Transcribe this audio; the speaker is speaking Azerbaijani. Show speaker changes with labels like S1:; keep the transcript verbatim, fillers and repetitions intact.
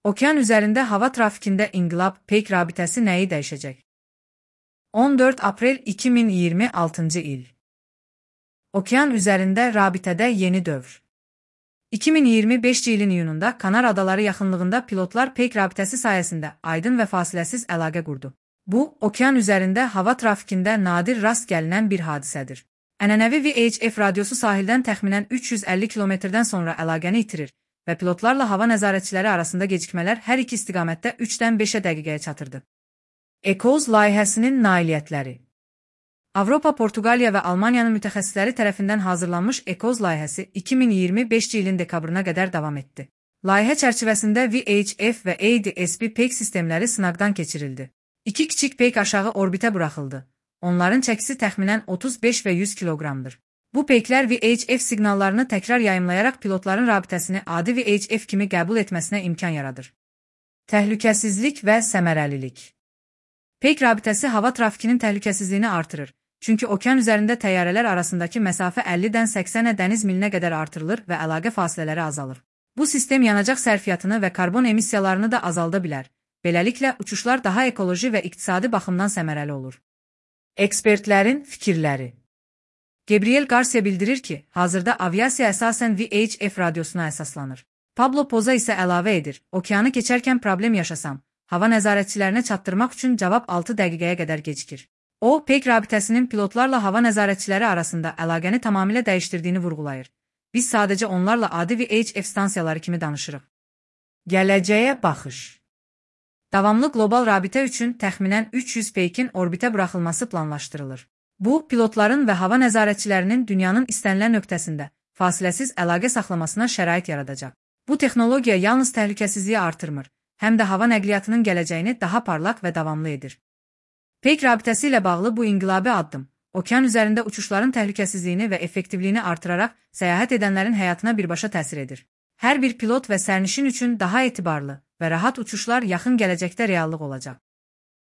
S1: Okean üzərində hava trafikində inqilab peyk rabitəsi nəyi dəyişəcək? on dörd aprel iki min iyirmi altıncı il. Okean üzərində rabitədə yeni dövr. iki min iyirmi beşinci ilin iyununda Kanar Adaları yaxınlığında pilotlar peyk rabitəsi sayəsində aydın və fasiləsiz əlaqə qurdu. Bu, okean üzərində hava trafikində nadir rast gəlinən bir hadisədir. Ənənəvi V H F radiosu sahildən təxminən üç yüz əlli kilometrdən sonra əlaqəni itirir və pilotlarla hava nəzarətçiləri arasında gecikmələr hər iki istiqamətdə üçdən beşə dəqiqəyə çatırdı. ECOWS layihəsinin nailiyyətləri. Avropa, Portuqaliya və Almaniyanın mütəxəssisləri tərəfindən hazırlanmış ECOWS layihəsi iki min iyirmi beşinci ilin dekabrına qədər davam etdi. Layihə çərçivəsində V H F və A D S B peyk sistemləri sınaqdan keçirildi. İki kiçik peyk aşağı orbitə buraxıldı. Onların çəkisi təxminən otuz beş və yüz kiloqramdır. Bu peyklər V H F siqnallarını təkrar yayımlayaraq pilotların rabitəsini adi V H F kimi qəbul etməsinə imkan yaradır. Təhlükəsizlik və səmərəlilik. Peyk rabitəsi hava trafikinin təhlükəsizliyini artırır. Çünki okean üzərində təyyarələr arasındakı məsafə əllidən səksənə dəniz milinə qədər artırılır və əlaqə fasilələri azalır. Bu sistem yanacaq sərfiyyatını və karbon emissiyalarını da azalda bilər. Beləliklə, uçuşlar daha ekoloji və iqtisadi baxımdan səmərəli olur. Ekspertlərin fikirləri. Gabriel Garcia bildirir ki, hazırda aviasiya əsasən V H F radiosuna əsaslanır. Pablo Poza isə əlavə edir, okeanı keçərkən problem yaşasam, hava nəzarətçilərinə çatdırmaq üçün cavab altı dəqiqəyə qədər gecikir. O, peyk rabitəsinin pilotlarla hava nəzarətçiləri arasında əlaqəni tamamilə dəyişdirdiyini vurğulayır. Biz sadəcə onlarla adi V H F stansiyaları kimi danışırıq. Gələcəyə baxış. Davamlı qlobal rabitə üçün təxminən üç yüz peykin orbitə buraxılması planlaşdırılır. Bu, pilotların və hava nəzarətçilərinin dünyanın istənilən nöqtəsində fasiləsiz əlaqə saxlamasına şərait yaradacaq. Bu texnologiya yalnız təhlükəsizliyi artırmır, həm də hava nəqliyyatının gələcəyini daha parlaq və davamlı edir. Peyk rabitəsi ilə bağlı bu inqilabi addım, okean üzərində uçuşların təhlükəsizliyini və effektivliyini artıraraq səyahət edənlərin həyatına birbaşa təsir edir. Hər bir pilot və sərnişin üçün daha etibarlı və rahat uçuşlar yaxın gələcəkdə reallıq olacaq.